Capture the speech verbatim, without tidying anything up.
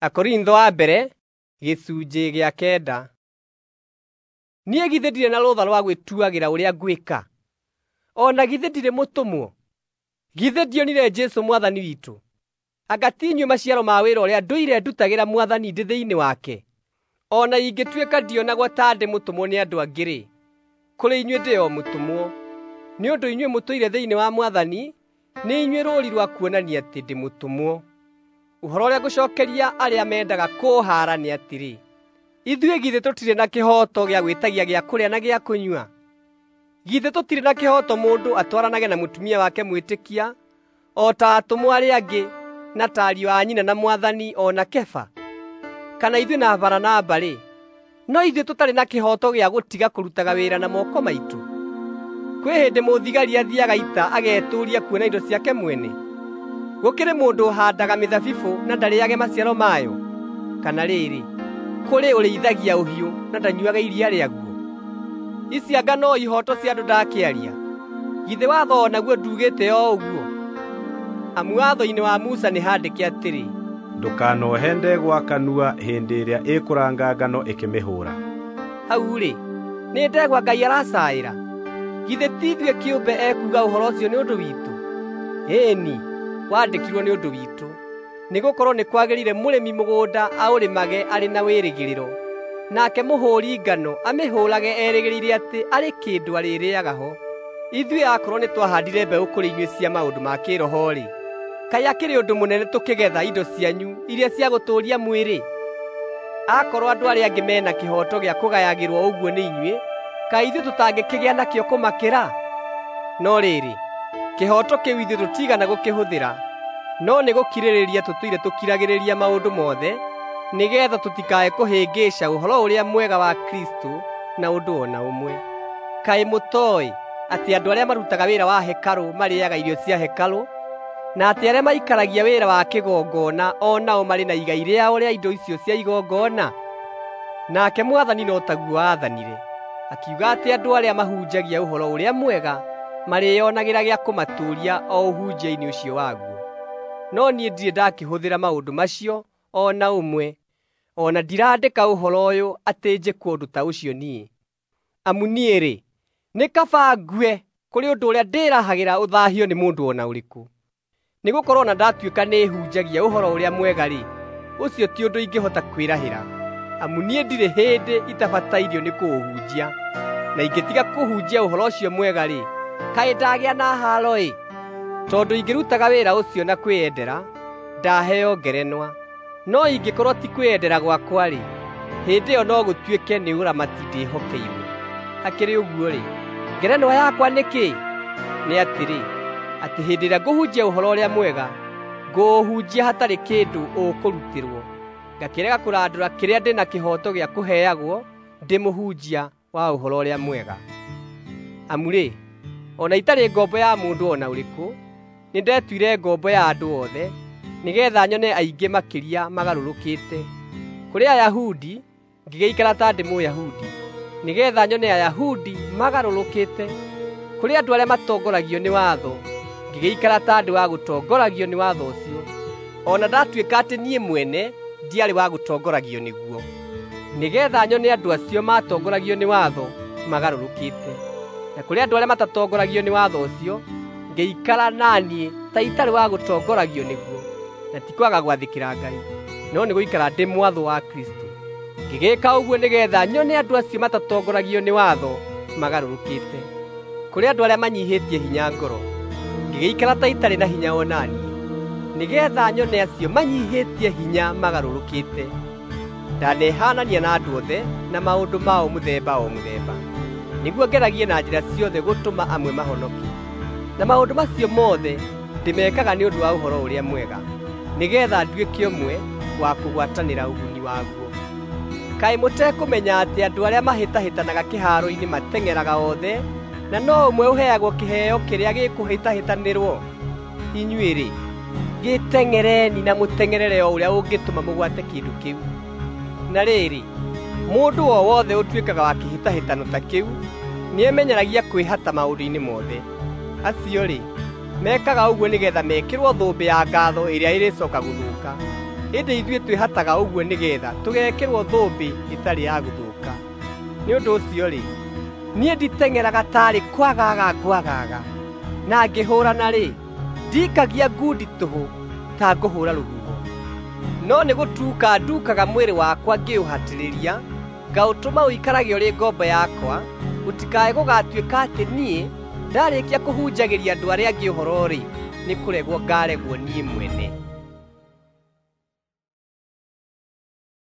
Akorintho wa mbere gĩcunjĩ gĩa kenda. Niĩ githĩ ndirĩ na rũtha rwa gwĩtuagĩra ũrĩa ngwĩka? O na githĩ ndirĩ mũtũmwo? Githĩ ndionire Jesũ Mwathani witũ? Anga ti inyuĩ maciaro ma wĩra ũrĩa ndũire ndutagĩra Mwathani ndĩ thĩinĩ wake? O na ingĩtuĩka ndionagwo ta ndĩ mũtũmwo nĩ andũ angĩ-rĩ, kũrĩ inyuĩ ndĩ o mũtũmwo. Nĩ ũndũ inyuĩ mũtũire thĩinĩ wa Mwathani, nĩ inyuĩ rũũri rwa kuonania atĩ ndĩ mũtũmwo. Ũhoro ũrĩa ngũcookeria arĩa mendaga kũũhaara nĩ atĩrĩ, ithuĩ githĩ tũtirĩ na kĩhooto gĩa gwĩtagia gĩa kũrĩa na gĩa kũnyua? Githĩ tũtirĩ na kĩhooto mũndũ atwaranage na mũtumia wake mwĩtĩkia, o ta atũmwo arĩa angĩ na ta ariũ a nyina na Mwathani o na Kefa? Kana ithuĩ na Baranaba-rĩ, no ithuĩ tũtarĩ na kĩhooto gĩa gũtiga kũrutaga wĩra na moko maitũ? Kwĩ hĩndĩ mũthigari athiiaga ita agetũũria kuona indo ciake mwene? Gũkĩrĩ mũndũ ũhaandaga mĩthabibũ na ndarĩĩage maciaro mayo? Kana rĩrĩ, kũrĩ ũrĩithagia ũhiũ na ndanyuuaga iria rĩaguo? Ici anga no ihooto cia andũ ndakĩaria? Githĩ watho o naguo nduugĩte o ũguo? Amu watho-inĩ wa Musa nĩ haandĩke atĩrĩ, "Ndũkanohe ndegwa kanua hĩndĩ ĩrĩa ĩkũranga ngano ĩkĩmĩhũũra." Hau-rĩ, nĩ ndegwa Ngai aracaĩra? Githĩ ti ithuĩ kĩũmbe ekuuga ũhoro ũcio nĩ ũndũ witũ? Ĩĩ-ni, waandĩkirwo nĩ ũndũ witũ, nĩgũkorwo nĩ kwagĩrĩire mũrĩmi mũgũnda aũrĩmage arĩ na wĩrĩgĩrĩro, nake mũhũũri ngano amĩhũũrage erĩgĩrĩire atĩ arĩ kĩndũ arĩrĩĩaga ho. Ithuĩ akorwo nĩtwahaandire mbeũ kũrĩ inyuĩ cia maũndũ ma kĩĩroho-rĩ, kaĩ akĩrĩ ũndũ mũnene tũkĩgetha indo cianyu iria cia gũtũũria mwĩrĩ? Akorwo andũ arĩa angĩ me na kĩhooto gĩa kũgayagĩrwo ũguo nĩ inyuĩ, kaĩ ithuĩ tũtangĩkĩgĩa nakĩo kũmakĩra? No rĩrĩ, kĩhooto kĩu ithuĩ tũtiigana gũkĩhũthĩra, no nĩ gũkirĩrĩria tũtũire tũkiragĩrĩria maũndũ mothe, nĩgeetha tũtikae kũhĩngĩca Ũhoro-ũrĩa-Mwega wa Kristũ na ũndũ o na ũmwe. Kaĩ mũtooĩ atĩ andũ arĩa marutaga wĩra wa hekarũ marĩĩaga irio cia hekarũ, na atĩ arĩa maikaragia wĩra wa kĩgongona o nao marĩ na igai rĩao rĩa indo icio cia igongona? Nake Mwathani no taguo aathanire, akiuga atĩ andũ arĩa mahunjagia Ũhoro-ũrĩa-Mwega marĩĩonagĩra gĩa kũmatũũria o ũhunjia-inĩ ũcio waguo. No niĩ ndirĩ ndakĩhũthĩra maũndũ macio o na ũmwe, o na ndiraandĩka ũhoro ũyũ atĩ njĩkwo ũndũ ta ũcio niĩ. Amu niĩ-rĩ, nĩ kaba ngue kũrĩ ũndũ ũrĩa ndĩĩrahagĩra ũthaahio nĩ mũndũ o na ũrĩkũ. Nĩgũkorwo o na ndatuĩka nĩhunjagia Ũhoro-ũrĩa-Mwega-rĩ, ũcio ti ũndũ ingĩhota kwĩrahĩra, amu niĩ ndirĩ hĩndĩ itabatairio nĩ kũũhunjia. Na ingĩtiga kũhunjia ũhoro ũcio mwega-rĩ, kaĩ ndagĩa na haaro-ĩ! Tondũ ingĩrutaga wĩra ũcio na kwĩyendera, ndaheo ngerenwa. No ingĩkorwo ti kwĩyendera gwakwa-rĩ, hĩndĩ ĩyo no gũtuĩke nĩ ũramati ndĩhokeirwo. Hakĩrĩ ũguo-rĩ, ngerenwa yakwa nĩ kĩĩ? Nĩ atĩrĩ, atĩ hĩndĩ ĩrĩa ngũhunjia Ũhoro-ũrĩa-Mwega, ngũũhunjia hatarĩ kĩndũ ũkũrutĩrwo, ngakĩrega kũrandũra kĩrĩa ndĩ na kĩhooto gĩa kũheagwo ndĩ mũhunjia wa Ũhoro-ũrĩa-Mwega. Amu-rĩ, o na itarĩ ngombo ya mũndũ o na ũrĩkũ, nĩndetuire ngombo ya andũ othe, nĩgeetha nyone aingĩ makĩria magarũrũkĩte. Kũrĩ Ayahudi ngĩgĩikara ta ndĩ Mũyahudi, nĩgeetha nyone Ayahudi magarũrũkĩte. Kũrĩ andũ arĩa matongoragio nĩ watho, ngĩgĩikara ta ndĩ wa gũtongoragio nĩ watho ũcio, o na ndatuĩka atĩ niĩ mwene ndiarĩ wa gũtongoragio nĩguo, nĩgeetha nyone andũ acio maatongoragio nĩ watho magarũrũkĩte. Na kũrĩ andũ arĩa matatongoragio nĩ watho ũcio, ngĩikara na niĩ ta itarĩ wa gũtongoragio nĩguo, na ti kwaga gwathĩkĩra Ngai, no nĩ gũikara ndĩ mwathwo wa Kristũ. Ngĩgĩĩka ũguo nĩgeetha nyone andũ acio matatongoragio nĩ watho magarũrũkĩte. Kũrĩ andũ arĩa manyiihĩtie hinya ngoro, ngĩgĩikara ta itarĩ na hinya o na niĩ, nĩgeetha nyone acio manyiihĩtie hinya magarũrũkĩte. Ndanehanania na andũ othe na maũndũ mao mũthemba o mũthemba, nĩguo ngeragie na njĩra ciothe gũtũma amwe mahonoke. Na maũndũ macio mothe ndĩmekaga nĩ ũndũ wa Ũhoro-ũrĩa-Mwega, nĩgeetha nduĩke ũmwe wa kũgwatanĩra ũguni waguo. Kaĩ mũtekũmenya atĩ andũ arĩa mahĩtahĩtanaga kĩhaaro-inĩ mateng'eraga othe, na no ũmwe ũheagwo kĩheo kĩrĩa gĩkũhĩtahĩtanĩrwo? Inyuĩ-rĩ, gĩteng'ereni na mũteng'erere o ũrĩa ũngĩtũma mũgwate kĩndũ kĩu. Na rĩrĩ, mũndũ o wothe ũtuĩkaga wa kĩhĩtahĩtano ta kĩu nĩemenyeragia kwĩhata maũndũ-inĩ mothe. Acio-rĩ, mekaga ũguo nĩgeetha mekĩrwo thũmbĩ ya ngaatho ĩrĩa ĩrĩcooka gũthũka. Ĩndĩ ithuĩ twĩhataga ũguo nĩgeetha tũgeekĩrwo thũmbĩ ĩtarĩ ya gũthũka. Nĩ ũndũ ũcio-rĩ, niĩ nditeng'eraga taarĩ kwagaaga ngwagaaga, na ngĩhũũrana-rĩ, ndikagia ngundi tũhũ ta ngũhũũra rũhuho. No nĩ gũtuuka nduukaga mwĩrĩ wakwa ngĩũhatĩrĩria, ngaũtũma ũikarage ũrĩ ngombo yakwa, gũtikae gũgatuĩka atĩ niĩ ndarĩkia kũhunjagĩria andũ arĩa angĩ ũhoro-rĩ, nĩ kũregwo ngaaregwo niĩ mwene.